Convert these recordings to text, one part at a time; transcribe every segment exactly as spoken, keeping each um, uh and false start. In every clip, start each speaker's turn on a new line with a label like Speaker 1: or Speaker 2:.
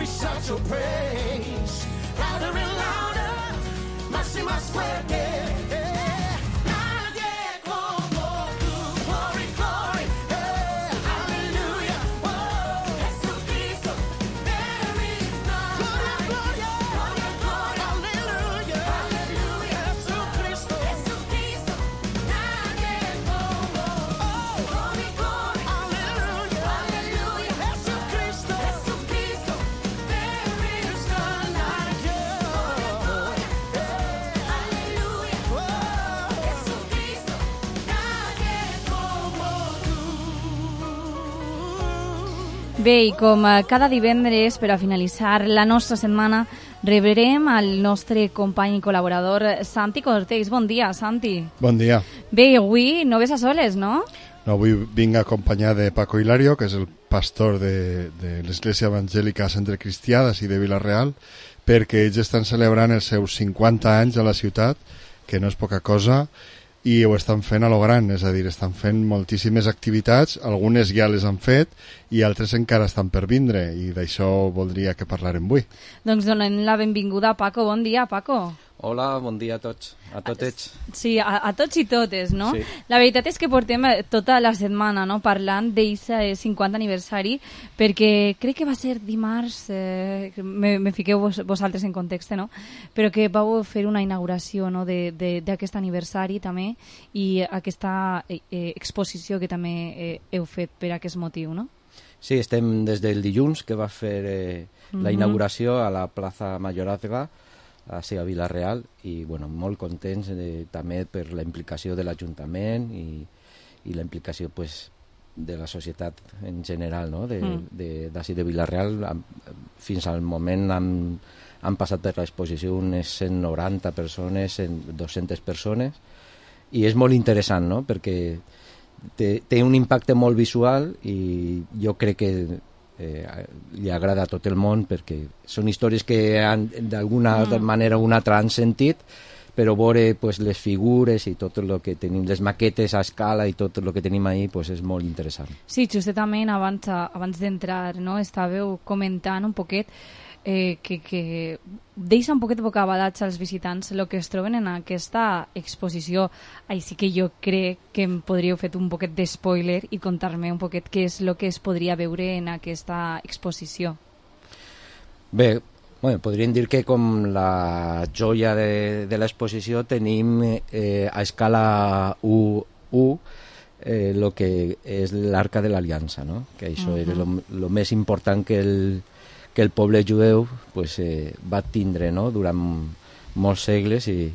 Speaker 1: we shout your praise. Louder and louder, más y más fuerte.
Speaker 2: Bé, i com cada divendres, per a finalitzar la nostra setmana, rebrem al nostre company i col·laborador Santi Cortés. Bon dia, Santi.
Speaker 3: Bon dia.
Speaker 2: Bé, avui no ves a soles, no?
Speaker 3: No, avui vinc acompanyat de Paco Hilario, que és el pastor de, de l'Església Evangèlica Centre Cristià d'ací de Vila-real, perquè ells estan celebrant els seus cinquanta anys a la ciutat, que no és poca cosa, i ho estan fent a lo gran, és a dir, estan fent moltíssimes activitats, algunes ja les han fet i altres encara estan per vindre, i d'això voldria que parlarem avui.
Speaker 2: Doncs donem la benvinguda a Paco. Bon dia, Paco.
Speaker 4: Hola, bon dia a tots, a totets.
Speaker 2: Sí, a, a tots i totes, no?
Speaker 4: Sí.
Speaker 2: La veritat és que portem tota la setmana, no?, parlant d'aquest cinquanta aniversari, perquè crec que va ser dimarts, eh, me, me fiqueu vos, vosaltres en context, no?, però que vau fer una inauguració, no?, d'aquest aniversari també, i aquesta eh, exposició que també eh, heu fet per aquest motiu, no?
Speaker 4: Sí, estem des del dilluns, que va fer eh, la
Speaker 2: Mhm.
Speaker 4: inauguració a la plaça Mayorazga, a a Vila-real, i bueno, molt contents eh, també per la implicació de l'Ajuntament i, i la implicació pues, de la societat en general, no? de,
Speaker 2: Mm.
Speaker 4: de, d'ací de Vila-real. Am- Fins al moment han, han passat per l'exposició unes cent noranta persones, dues-centes persones, i és molt interessant, no? Perquè té, té un impacte molt visual i jo crec que Eh, li agrada a tot el món, perquè són històries que han, d'alguna
Speaker 2: Mm.
Speaker 4: manera o una altra han sentit, però veure pues, les figures i tot el que tenim, les maquetes a escala i tot el que tenim ahí pues, és molt interessant.
Speaker 2: Sí, justament abans, abans d'entrar, no?, estàveu comentant un poquet eh, que, que deixa un poquet bocabadats als visitants el que es troben en aquesta exposició. Així que jo crec que em podríeu fer un poquet de spoiler i contar-me un poquet què és el que es podria veure en aquesta exposició.
Speaker 4: Bé, bueno, podríem dir que com la joia de, de l'exposició tenim eh, a escala u u eh, lo que és l'Arca de l'Aliança, no? Que això uh -huh. era lo més important que el que el poble jueu pues, eh, va tindre, no?, durant molts segles, i,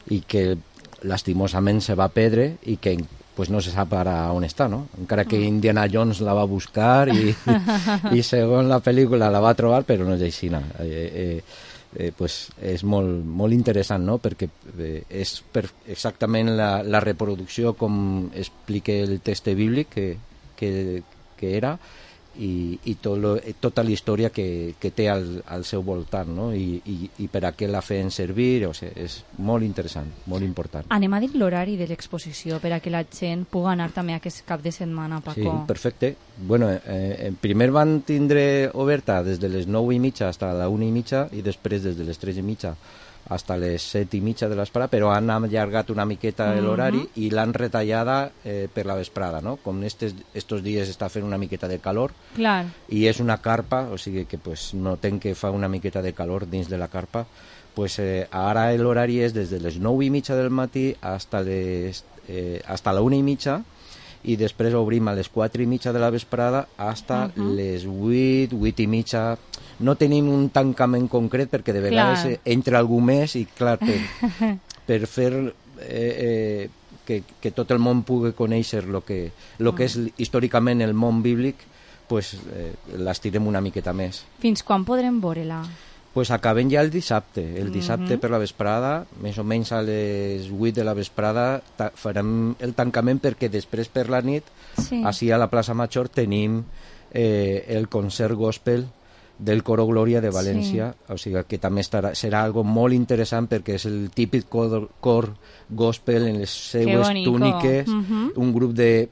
Speaker 4: i que lastimosament se va perdre i que pues, no se sap ara on està, no? Encara que Indiana Jones la va buscar i, i segons la pel·lícula la va trobar, però no és així. No? Eh, eh, eh, pues, és molt, molt interessant, no? Perquè eh, és per exactament la, la reproducció com explica el text bíblic que, que, que era, i, i tot lo, tota la història que, que té al, al seu voltant, no? I, i, i per a què la feien servir, o sigui, és molt interessant, molt important.
Speaker 2: Anem a dir l'horari de l'exposició per a que la gent pugui anar també aquest cap de setmana, Paco.
Speaker 4: Sí, perfecte. Bueno, eh, primer van tindre oberta des de les nou i mitja fins a la una i mitja i després des de les tres i mitja fins a les set i mitja de l'esprada, però han allargat una miqueta l'horari uh -huh. i l'han retallada eh, per la vesprada, no? Com estes, estos dies està fent una miqueta de calor.
Speaker 2: Clar.
Speaker 4: I és una carpa, o sigui que pues, notem que fa una miqueta de calor dins de la carpa. Pues, eh, ara l'horari és des de les nou i mitja del matí hasta les, eh, hasta la una i mitja, i després obrim a les quatre i mitja de la vesprada hasta uh -huh. les vuit, vuit i mitja. No tenim un tancament concret perquè de vegades clar. entra algú més i clar, per, per fer eh, eh, que, que tot el món pugui conèixer el que, lo que és històricament el món bíblic, pues, eh, l'estirem una miqueta més.
Speaker 2: Fins quan podrem veure-la?
Speaker 4: Pues acabem ja el dissabte. El dissabte uh -huh. per la vesprada, més o menys a les vuit de la vesprada, farem el tancament perquè després per la nit, sí. Així a la plaça Major, tenim eh, el concert gospel del Coro Glòria de València, sí. O sigui que també estarà, serà algo molt interessant perquè és el típic cor, cor gospel en les seues túniques, uh -huh. un grup de...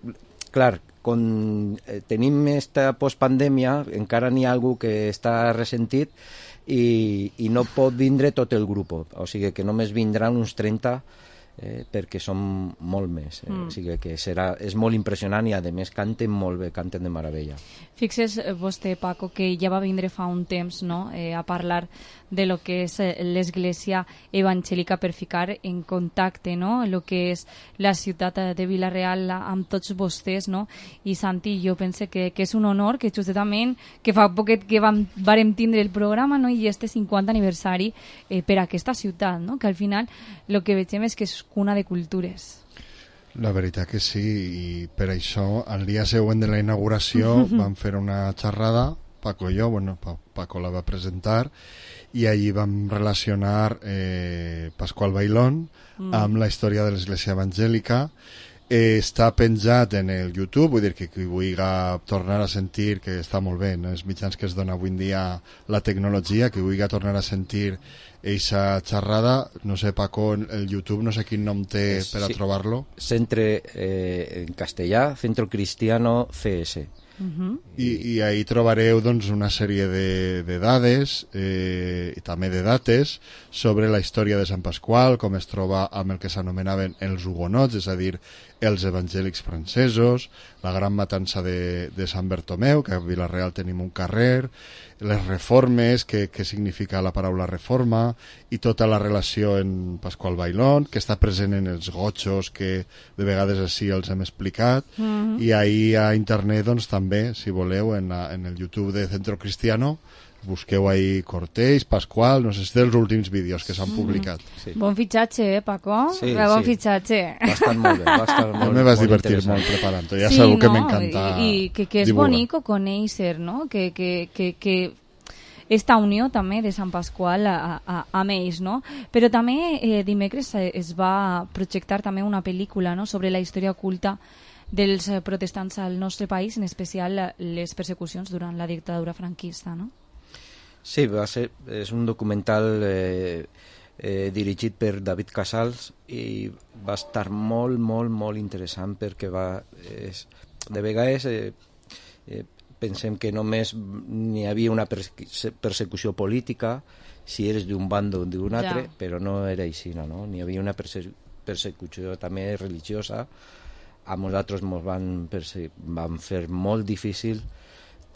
Speaker 4: Clar, con, eh, tenim esta postpandèmia, encara n'hi ha algú que està ressentit i, i no pot vindre tot el grup, o sigui que només vindran uns trenta eh, perquè som molt més, eh? mm. o sigui que serà, és molt impressionant i a més canten molt bé, canten de meravella.
Speaker 2: Fixes vostè, Paco, que ja va vindre fa un temps, no?, eh, a parlar de lo que és l'Església Evangèlica per ficar en contacte, no?, el que és la ciutat de Vila-real amb tots vostès, no? I Santi, jo pense que, que és un honor que justament, que fa poquet que vam, varem tindre el programa, no?, i este cinquanta aniversari eh, per a aquesta ciutat, no?, que al final el que veiem és que és cuna de cultures.
Speaker 3: La veritat que sí, i per això el dia següent de la inauguració vam fer una xerrada, Paco i jo, bueno, Paco la va presentar, i allí vam relacionar eh, Pasqual Bailón mm. amb la història de l'Església Evangèlica. Eh, està penjat en el YouTube, vull dir que qui vulgui tornar a sentir, que està molt bé, no? Els mitjans que es dona avui en dia la tecnologia, que vulgui tornar a sentir eixa xerrada, no sé, Paco, el YouTube no sé quin nom té es, per a sí. trobar-lo.
Speaker 4: Centre, eh, en castellà, Centro Cristiano C S.
Speaker 3: Uh-huh. I, i ahí trobareu doncs, una sèrie de, de dades eh, i també de dates sobre la història de Sant Pasqual, com es troba amb el que s'anomenaven els hugonots, és a dir, els evangèlics francesos, la gran matança de, de Sant Bertomeu, que a Vila-real tenim un carrer, les reformes, que, que significa la paraula reforma, i tota la relació en Pasqual Bailón, que està present en els gotxos, que de vegades així els hem explicat, mm-hmm. i ahir a internet doncs, també, si voleu, en, la, en el YouTube de Centro Cristiano, busqueu ahí Cortés, Pasqual, no sé si dels últims vídeos que s'han publicat.
Speaker 2: Sí. Bon fitxatge, eh, Paco?
Speaker 4: Sí,
Speaker 2: bon
Speaker 4: sí.
Speaker 2: fitxatge.
Speaker 4: Bastant molt bé, bastant molt,
Speaker 3: jo me vas
Speaker 4: molt
Speaker 3: divertir molt preparant-ho, ja
Speaker 2: sí,
Speaker 3: sabeu
Speaker 2: no?
Speaker 3: que m'encanta
Speaker 2: I, i que, que és
Speaker 3: divulgar.
Speaker 2: bonico conèixer, no? Que, que, que, que esta unió també de Sant Pasqual a, a, amb ells, no? Però també eh, dimecres es va projectar també una pel·lícula, no?, sobre la història oculta dels protestants al nostre país, en especial les persecucions durant la dictadura franquista, no?
Speaker 4: Sí, va ser, és un documental eh, eh, dirigit per David Casals i va estar molt, molt, molt interessant perquè va... És, de vegades eh, eh, pensem que només n'hi havia una perse persecució política si eres d'un bando o d'un altre, ja. Però no era així, no? N'hi havia una perse persecució també religiosa. A nosaltres ens van, van fer molt difícil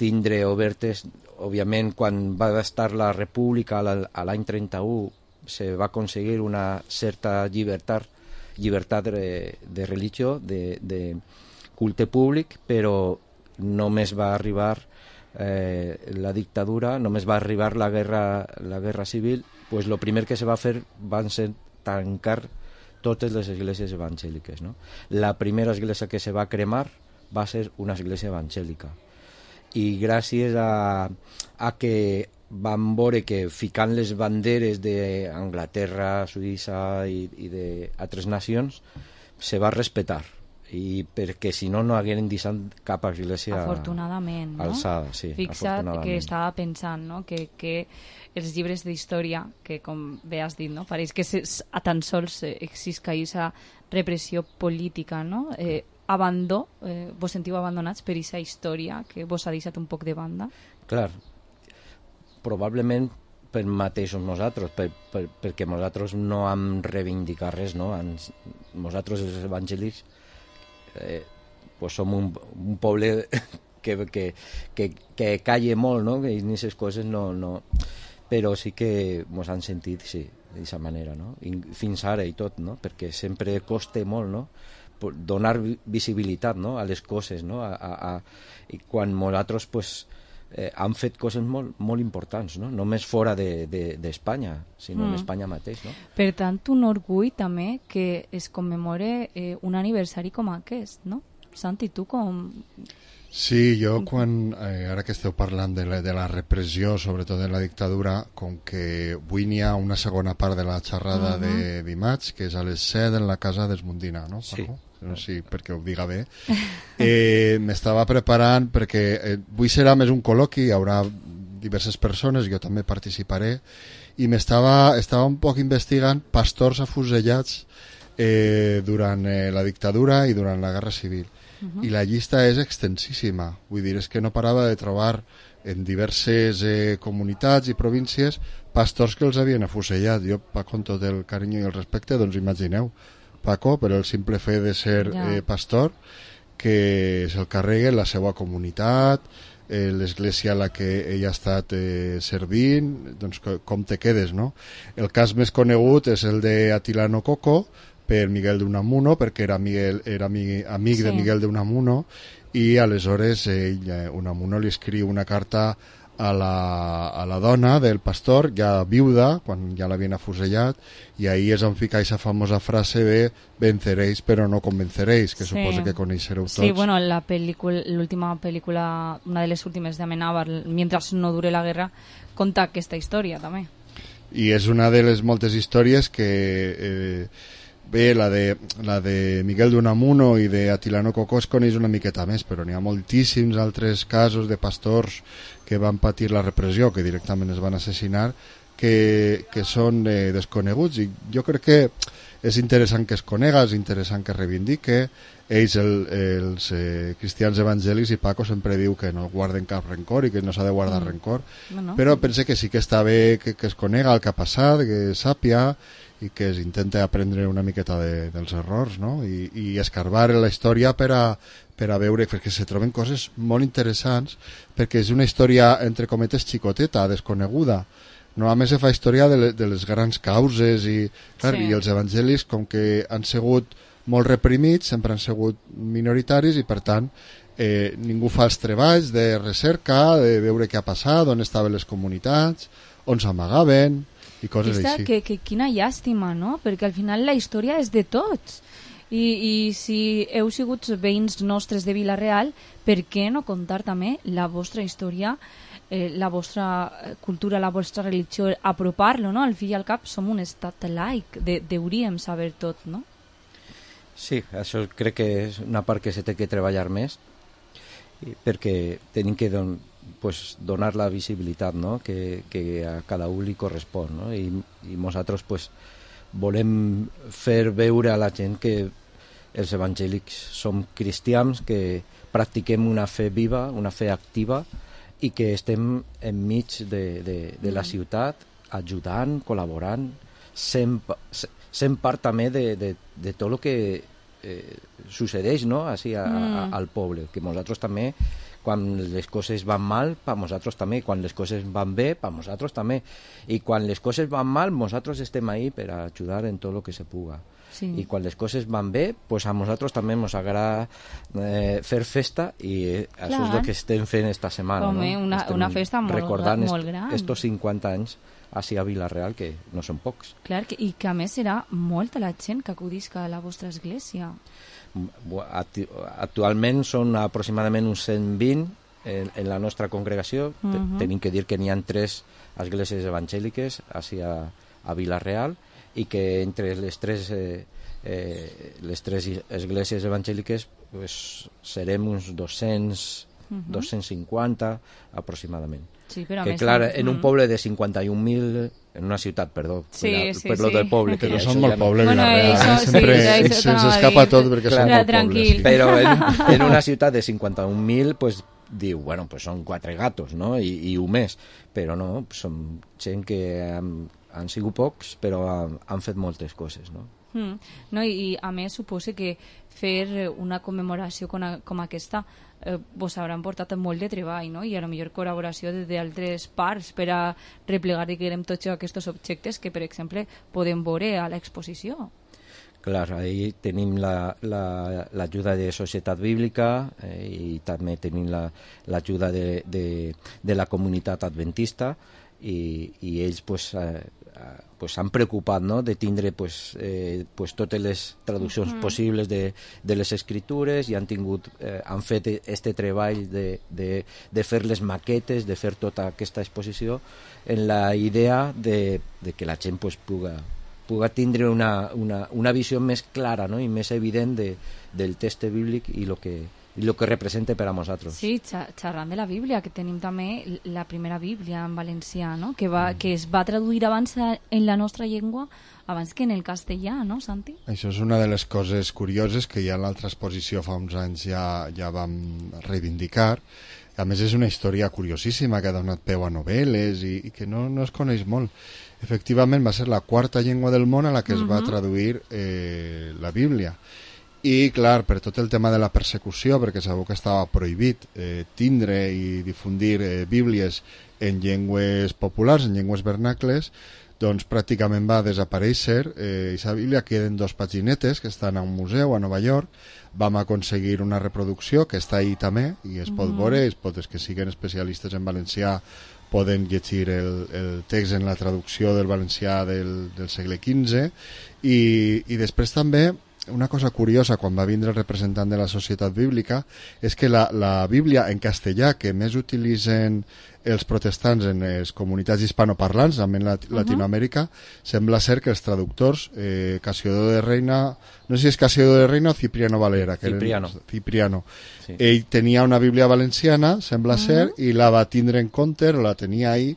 Speaker 4: tindre obertes. Òbviament, quan va estar la República a l'any trenta-u, se va aconseguir una certa llibertat, llibertat de, de religió, de, de culte públic, però només va arribar eh, la dictadura, només va arribar la guerra, la guerra civil, pues lo primer que se va fer van ser tancar totes les esglésies evangèliques, no? La primera església que se va cremar va ser una església evangèlica. I gràcies a, a que van veure que ficant les banderes d'Anglaterra, Suïssa i, i d'altres nacions se va respectar, i perquè si no no hagueren deixat cap església
Speaker 2: afortunadament, no?
Speaker 4: Alçada, sí,
Speaker 2: fixa't que estava pensant, no?, que, que els llibres d'història, que com bé has dit, no?, pareix que se, a tan sols existeix aquesta repressió política, no?, eh, abandó, eh, vos sentiu abandonats per aquesta història que vos ha deixat un poc de banda?
Speaker 4: Clar, probablement per mateixos nosaltres, per, per, perquè nosaltres no hem reivindicat res, no? Ens, nosaltres els evangèlics eh, pues som un, un poble que, que, que, que calla molt, no? Que en aquestes coses no, no... Però sí que ens han sentit, sí, d'aquesta manera, no? I fins ara i tot, no? Perquè sempre costa molt, no?, donar visibilitat, no?, a les coses, no? A, a, a... I quan nosaltres pues, eh, han fet coses molt, molt importants, no? Només fora d'Espanya, de, de, sinó mm. en Espanya mateix, no?
Speaker 2: Per tant, un orgull també que es commemore eh, un aniversari com aquest, no? Santi, tu com...
Speaker 3: Sí, jo quan, eh, ara que esteu parlant de la, de la repressió, sobretot de la dictadura, com que avui n'hi ha una segona part de la xerrada uh -huh. de dimarts, que és a les set en la casa d'Esmundina, no?
Speaker 4: Sí.
Speaker 3: No sé si perquè ho diga bé. Eh, m'estava preparant perquè eh, avui serà més un col·loqui, hi haurà diverses persones, jo també participaré, i m'estava estava un poc investigant pastors afusellats eh, durant eh, la dictadura i durant la Guerra Civil. uh-huh. i la llista és extensíssima. Vull dir, és que no parava de trobar en diverses eh, comunitats i províncies pastors que els havien afusellat. Jo, Paco, amb tot el carinyo i el respecte, doncs imagineu, Paco, per el simple fet de ser ja. eh, pastor, que se'l carreguen la seva comunitat, eh, l'església a la que ell ha estat eh, servint, doncs com te quedes, no? El cas més conegut és el de Atilano Coco, per Miguel de Unamuno, perquè era, Miguel, era amic, amic sí. de Miguel de Unamuno, i aleshores ell, eh, Unamuno li escriu una carta a la, a la dona del pastor, ja viuda, quan ja l'havien afusellat, i ahí és on fica aquesta famosa frase de venceréis però no convenceréis, que sí. suposo que coneixereu tots.
Speaker 2: Sí, bueno, la película, l'última pel·lícula, una de les últimes de Amenábar, Mientras no dure la guerra, conta aquesta història també.
Speaker 3: I és una de les moltes històries que... Eh, bé, la de, la de Miguel de Unamuno i de Atilano Coco es coneix una miqueta més, però n'hi ha moltíssims altres casos de pastors que van patir la repressió, que directament es van assassinar, que, que són eh, desconeguts, i jo crec que és interessant que es conega, és interessant que es reivindique. Ells, el, els eh, cristians evangèlics, i Paco sempre diu que no guarden cap rencor i que no s'ha de guardar mm. rencor, no, no. però pense que sí que està bé que, que es conega el que ha passat, que sàpia, i que es intenta aprendre una miqueta de, dels errors, no? I, i escarbar la història per a, per a veure, perquè se troben coses molt interessants, perquè és una història, entre cometes, xicoteta, desconeguda. Normalment se fa història de, le, de les grans causes, i, clar, sí. i els evangelis, com que han sigut molt reprimits, sempre han sigut minoritaris, i per tant eh, ningú fa els treballs de recerca, de veure què ha passat, on estaven les comunitats, on s'amagaven, i coses
Speaker 2: Aquesta,
Speaker 3: així.
Speaker 2: Que, que quina llàstima, no? Perquè al final la història és de tots. I, i si heu sigut veïns nostres de Vila-real, per què no contar també la vostra història, eh, la vostra cultura, la vostra religió, apropar-lo, no? Al fi i al cap som un estat laic, de, deuríem saber tot, no?
Speaker 4: Sí, això crec que és una part que se té que treballar més, perquè tenim que don, pues, donar la visibilitat, no? que, que a cada un li correspon, no? I, i nosaltres pues, volem fer veure a la gent que els evangèlics som cristians, que practiquem una fe viva, una fe activa, i que estem enmig de, de, de la ciutat, ajudant, col·laborant, sent, sent part també de, de, de tot el que eh, succeeix, no? Així a, mm. a, al poble, que nosaltres també, quan les coses van mal, per nosaltres també, quan les coses van bé, per nosaltres també, i quan les coses van mal, nosaltres estem ahí per ajudar en tot el que se puga. Sí. I quan les coses van bé, pues a nosaltres també ens agrada eh, fer festa, i Clar. Això és el que estem fent esta setmana.
Speaker 2: Home,
Speaker 4: no?
Speaker 2: una, una festa molt,
Speaker 4: recordant
Speaker 2: molt gran.
Speaker 4: Recordant estos cinquanta anys així a Vila-real, que no són pocs.
Speaker 2: Clar, que, i que a més serà molta la gent que acudisca a la vostra església.
Speaker 4: Actualment són aproximadament uns cent vint en, en la nostra congregació. Uh -huh. Tenim que dir que n'hi ha tres esglésies evangèliques així a, a Vila-real, i que entre les tres, eh, eh, les tres esglésies evangèliques pues, serem uns dos-cents, uh -huh. dos-cents cinquanta aproximadament.
Speaker 2: Sí, però
Speaker 4: que
Speaker 2: més
Speaker 4: clar,
Speaker 2: no.
Speaker 4: en un poble de cinquanta i un mil, en una ciutat, perdó,
Speaker 2: sí,
Speaker 4: per,
Speaker 2: sí,
Speaker 4: per lo
Speaker 2: sí.
Speaker 4: del poble, que
Speaker 3: però
Speaker 4: ja
Speaker 3: són molt poble,
Speaker 2: bueno,
Speaker 3: Vila-real,
Speaker 2: això,
Speaker 3: eh? sempre
Speaker 2: sí,
Speaker 3: sí, se'ns escapa tot perquè
Speaker 4: clar,
Speaker 3: són molt
Speaker 2: tranquil.
Speaker 3: pobles.
Speaker 4: Però en, en una ciutat de cinquanta un mil, pues, diu, bueno, pues són quatre gatos, no? I, i un més, però no, són gent que han, han sigut pocs, però han, han fet moltes coses, no?
Speaker 2: Mm. No, i, i a més suposo que fer una commemoració com, a, com aquesta eh, vos hauran portat molt de treball, no? I a lo millor col·laboració d'altres parts per a replegar, diguem, tots aquests objectes que, per exemple, podem veure a l'exposició.
Speaker 4: Clar, ahí tenim l'ajuda la, la, de Societat Bíblica, eh, i també tenim l'ajuda la, de, de, de la comunitat adventista, i, i ells pues, eh, pues han preocupat, no?, de tindre pues, eh, pues totes les traduccions uh -huh. possibles de, de les escritures, i han tingut eh, han fet este treball de, de, de fer les maquetes, de fer tota aquesta exposició en la idea de, de que la gent pues, puga, puga tindre una, una, una visió més clara, no?, i més evident de, del text bíblic i el que, i el que representa per a nosaltres.
Speaker 2: Sí, xerrant de la Bíblia, que tenim també la primera Bíblia en valencià, no? que, va, que es va traduir abans en la nostra llengua abans que en el castellà, no, Santi?
Speaker 3: Això és una de les coses curioses que ja en l'altra exposició fa uns anys ja, ja vam reivindicar. A més, és una història curiosíssima que ha donat peu a novel·les i, i que no, no es coneix molt. Efectivament, va ser la quarta llengua del món a la que es uh -huh. va traduir eh, la Bíblia. I, clar, per tot el tema de la persecució, perquè sabeu que estava prohibit eh, tindre i difundir eh, bíblies en llengües populars, en llengües vernacles, doncs pràcticament va desaparèixer. Eh, aquesta Bíblia queden dos paginetes que estan a un museu a Nova York. Vam aconseguir una reproducció que està ahí també i es pot veure, es pot, els que siguin especialistes en valencià poden llegir el, el text en la traducció del valencià del, del segle quinze i, i després també una cosa curiosa quan va vindre el representant de la Societat Bíblica és que la, la Bíblia en castellà que més utilitzen els protestants en les comunitats hispanoparlants, també en Lat Latinoamèrica, uh-huh. sembla ser que els traductors, eh, Casiodor de Reina, no sé si és Casiodor de Reina o Cipriano Valera, que
Speaker 4: Cipriano.
Speaker 3: Eren, Cipriano. Sí. Ell tenia una Bíblia valenciana, sembla uh-huh. ser, i la va tindre en compte, o la tenia ahí,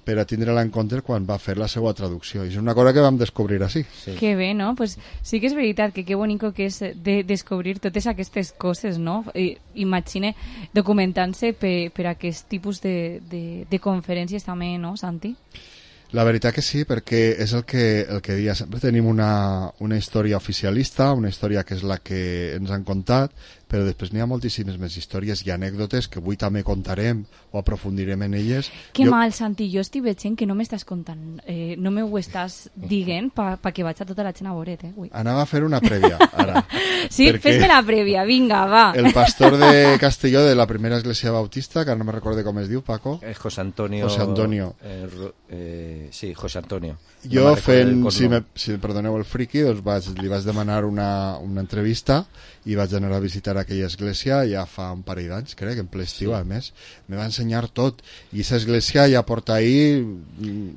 Speaker 3: per a tindre-la en compte quan va fer la seva traducció. I és una cosa que vam descobrir així.
Speaker 2: Sí. Que bé, no? Pues sí que és veritat que que bonico que és de descobrir totes aquestes coses, no? I, imagine documentant-se per, per aquest tipus de, de, de conferències també, no, Santi?
Speaker 3: La veritat que sí, perquè és el que, el que dia. Sempre tenim una, una història oficialista, una història que és la que ens han contat, però després n'hi ha moltíssimes més històries i anècdotes que avui també contarem o aprofundirem en elles.
Speaker 2: Que jo... mal, Santi, jo estic veient que no m'estàs contant, eh, no m'ho estàs dient per pa que vaig a tota la gent a veure't, eh? Ui.
Speaker 3: Anava a fer una prèvia, ara.
Speaker 2: Sí, fes-me la prèvia, vinga, va.
Speaker 3: El pastor de Castelló de la primera església bautista, que no me recorde com es diu, Paco.
Speaker 4: És José Antonio.
Speaker 3: José Antonio.
Speaker 4: Eh, eh, sí, José Antonio.
Speaker 3: Jo no fent, si me, si me perdoneu el friqui, doncs vaig, li vaig demanar una, una entrevista i vaig anar a visitar aquella església ja fa un parell d'anys, crec, en ple estiu, sí. A més. Me va ensenyar tot. I aquesta església ja porta ahir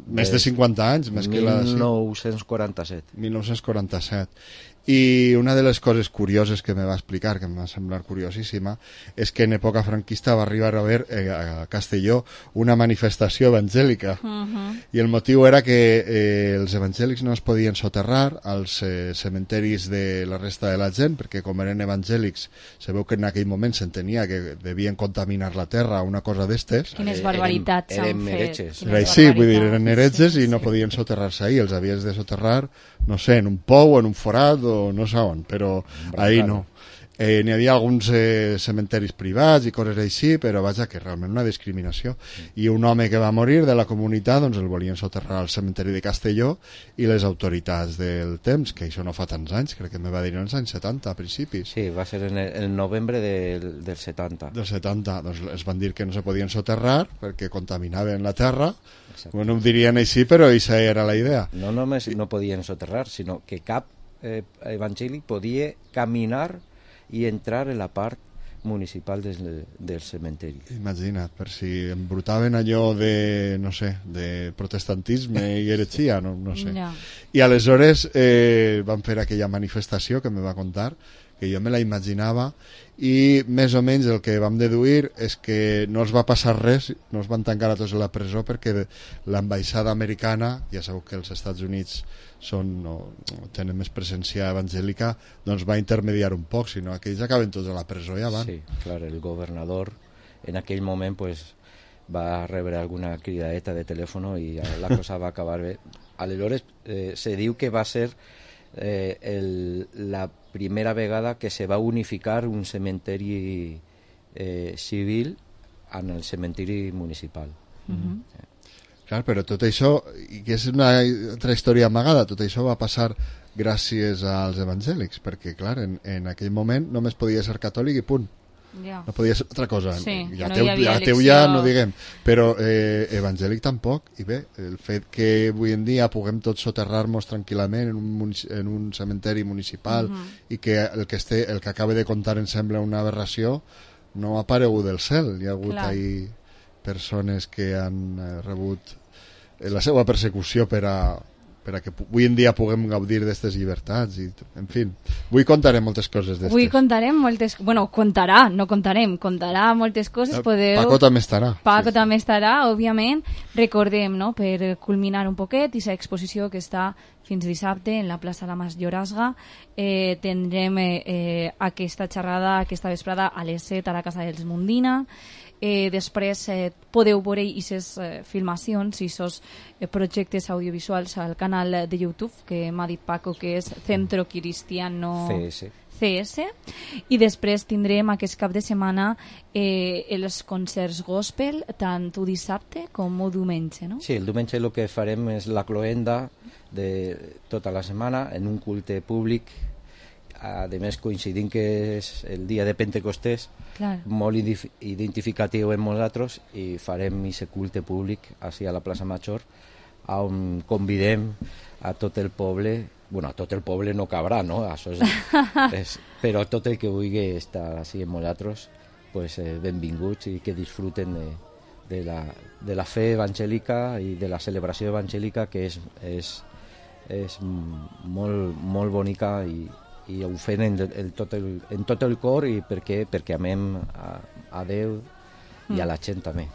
Speaker 3: més de cinquanta anys. Més
Speaker 4: mil nou-cents quaranta-set.
Speaker 3: Que la, sí. mil nou-cents quaranta-set. I una de les coses curioses que me va explicar, que em va semblar curiosíssima, és que en època franquista va arribar a haver eh, a Castelló una manifestació evangèlica. Uh-huh. I el motiu era que eh, els evangèlics no es podien soterrar als eh, cementeris de la resta de la gent, perquè com eren evangèlics, sabeu que en aquell moment s'entenia que devien contaminar la terra, una cosa d'estes.
Speaker 2: Quines barbaritats s'han fet.
Speaker 3: Era així, vull dir, eren heretges sí, sí, i no sí. podien soterrar-se ahí, els havies de soterrar, no sé, en un pou, en un forat, o no sé on, però ahí no. Eh, n'hi havia alguns eh, cementeris privats i coses així, però vaja, que realment una discriminació. I un home que va morir de la comunitat, doncs el volien soterrar al cementeri de Castelló i les autoritats del temps, que això no fa tants anys, crec que me va dir en els anys setanta, a principis.
Speaker 4: Sí, va ser en el, el novembre del, del setanta.
Speaker 3: Del setanta, doncs es van dir que no se podien soterrar perquè contaminaven la terra. Exacte. Bueno, ho dirien així, però aquesta era la idea.
Speaker 4: No només no podien soterrar, sinó que cap eh, evangèlic podia caminar i entrar en la part municipal del, del cementeri.
Speaker 3: Imagina't, per si embrutaven allò de, no sé, de protestantisme i heretgia, no, no sé. No. I aleshores eh, van fer aquella manifestació que me va contar, que jo me la imaginava, i més o menys el que vam deduir és que no els va passar res, no els van tancar a tots a la presó perquè l'ambaixada americana, ja sabeu que els Estats Units són, no, tenen més presència evangèlica, doncs va intermediar un poc, si no aquells acaben tots a la presó i ja van.
Speaker 4: Sí, clar, el governador en aquell moment pues, va rebre alguna cridadeta de telèfon i la cosa va acabar bé. Aleshores eh, se diu que va ser eh, el, la primera vegada que se va unificar un cementeri eh, civil en el cementeri municipal.
Speaker 2: Uh-huh.
Speaker 4: eh.
Speaker 3: Clar, però tot això, i que és una altra història amagada, tot això va passar gràcies als evangèlics, perquè clar, en, en aquell moment només podia ser catòlic i punt.
Speaker 2: Yeah.
Speaker 3: No podia ser altra cosa.
Speaker 2: Sí,
Speaker 3: ja
Speaker 2: no
Speaker 3: teu,
Speaker 2: hi havia
Speaker 3: ja teu ja no diguem, però eh, evangèlic tampoc. I bé, el fet que avui en dia puguem tots soterrar-nos tranquil·lament en un, en un cementeri municipal uh-huh. i que el que, este, el que acaba de contar em sembla una aberració, no ha aparegut del cel. Hi ha hagut
Speaker 2: Clar.
Speaker 3: ahí persones que han eh, rebut eh, la seva persecució per a, per a que avui en dia puguem gaudir d'aquestes llibertats i, en fi, avui contarem moltes coses d'estes.
Speaker 2: Avui contarem moltes... Bueno, contarà, no contarem, contarà moltes coses. Podeu...
Speaker 3: Paco també estarà.
Speaker 2: Paco
Speaker 3: sí,
Speaker 2: també
Speaker 3: sí.
Speaker 2: estarà, òbviament. Recordem, no?, per culminar un poquet, aquesta exposició que està fins dissabte en la plaça La Mas Llorasga. Eh, tindrem eh, eh, aquesta xerrada, aquesta vesprada a les set a la Casa dels Mundina. Eh, després eh, podeu veure aquestes eh, filmacions i aquests eh, projectes audiovisuals al canal de YouTube que m'ha dit Paco, que és Centro Cristiano
Speaker 4: C S.
Speaker 2: C S. I després tindrem aquest cap de setmana eh, els concerts gospel, tant el dissabte com el diumenge, no?
Speaker 4: Sí, el diumenge el que farem és la cloenda de tota la setmana en un culte públic. A més, coincidint que és el dia de Pentecostés,
Speaker 2: Clar.
Speaker 4: molt identificatiu en nosaltres, i farem aquest culte públic així a la plaça Major, on convidem a tot el poble, bueno, a tot el poble no cabrà, no? Això és, és, però tot el que vulgui estar així amb nosaltres, pues, eh, benvinguts i que disfruten de, de, la, de la fe evangèlica i de la celebració evangèlica, que és, és, és molt, molt bonica i i ho fem en, en, tot el, en tot el cor, i perquè, perquè amem a, a Déu i a la gent també.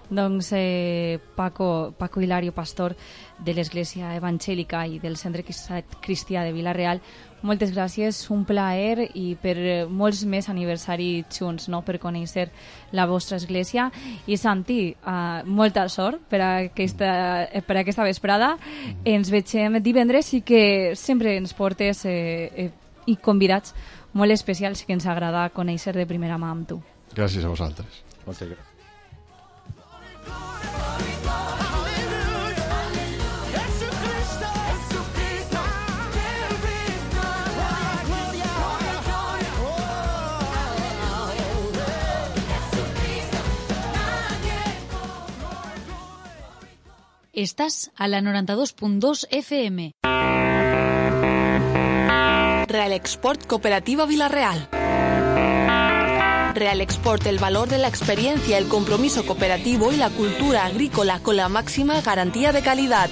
Speaker 2: Doncs eh, Paco, Paco Hilario, pastor de l'Església Evangèlica i del Centre Cristià de Vila-real, moltes gràcies, un plaer, i per molts més aniversaris junts, no?, per conèixer la vostra església. I Santi, uh, molta sort per a aquesta, per a aquesta vesprada. Ens veiem divendres i que sempre ens portes eh, eh, i convidats molt especials que ens agrada conèixer de primera mà amb tu.
Speaker 3: Gràcies a vosaltres.
Speaker 4: Moltes gràcies.
Speaker 5: Estás a la noranta-dos punt dos F M.
Speaker 6: Real Export Cooperativa Vila-real. Real Export, el valor de la experiencia, el compromiso cooperativo y la cultura agrícola con la máxima garantía de calidad.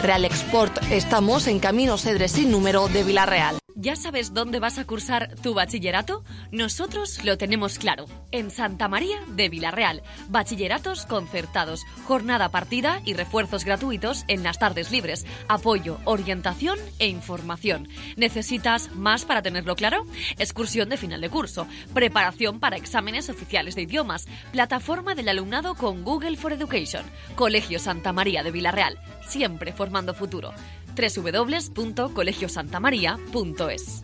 Speaker 6: Real Export, estamos en Camino Cedre sin número de Vila-real.
Speaker 7: ¿Ya sabes dónde vas a cursar tu bachillerato? Nosotros lo tenemos claro. En Santa María de Vila-real. Bachilleratos concertados, jornada partida y refuerzos gratuitos en las tardes libres. Apoyo, orientación e información. ¿Necesitas más para tenerlo claro? Excursión de final de curso. Preparación para exámenes oficiales de idiomas. Plataforma del alumnado con Google for Education. Colegio Santa María de Vila-real. Siempre formando futuro. doble u doble u doble u punto colegio santa maría punto es.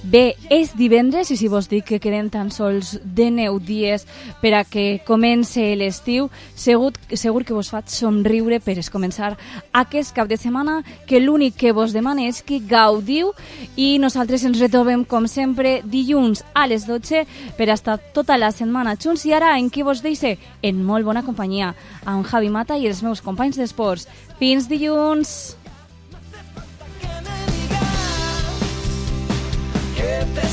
Speaker 2: Bé, és divendres i si vos dic que queden tan sols dinou dies per a que comence l'estiu, segur, segur que vos faig somriure per es començar aquest cap de setmana, que l'únic que vos demana és que gaudiu, i nosaltres ens retrobem com sempre dilluns a les dotze per a estar tota la setmana junts. I ara en qui vos deixe? En molt bona companyia, amb Javi Mata i els meus companys d'esports. Fins dilluns!
Speaker 1: Que te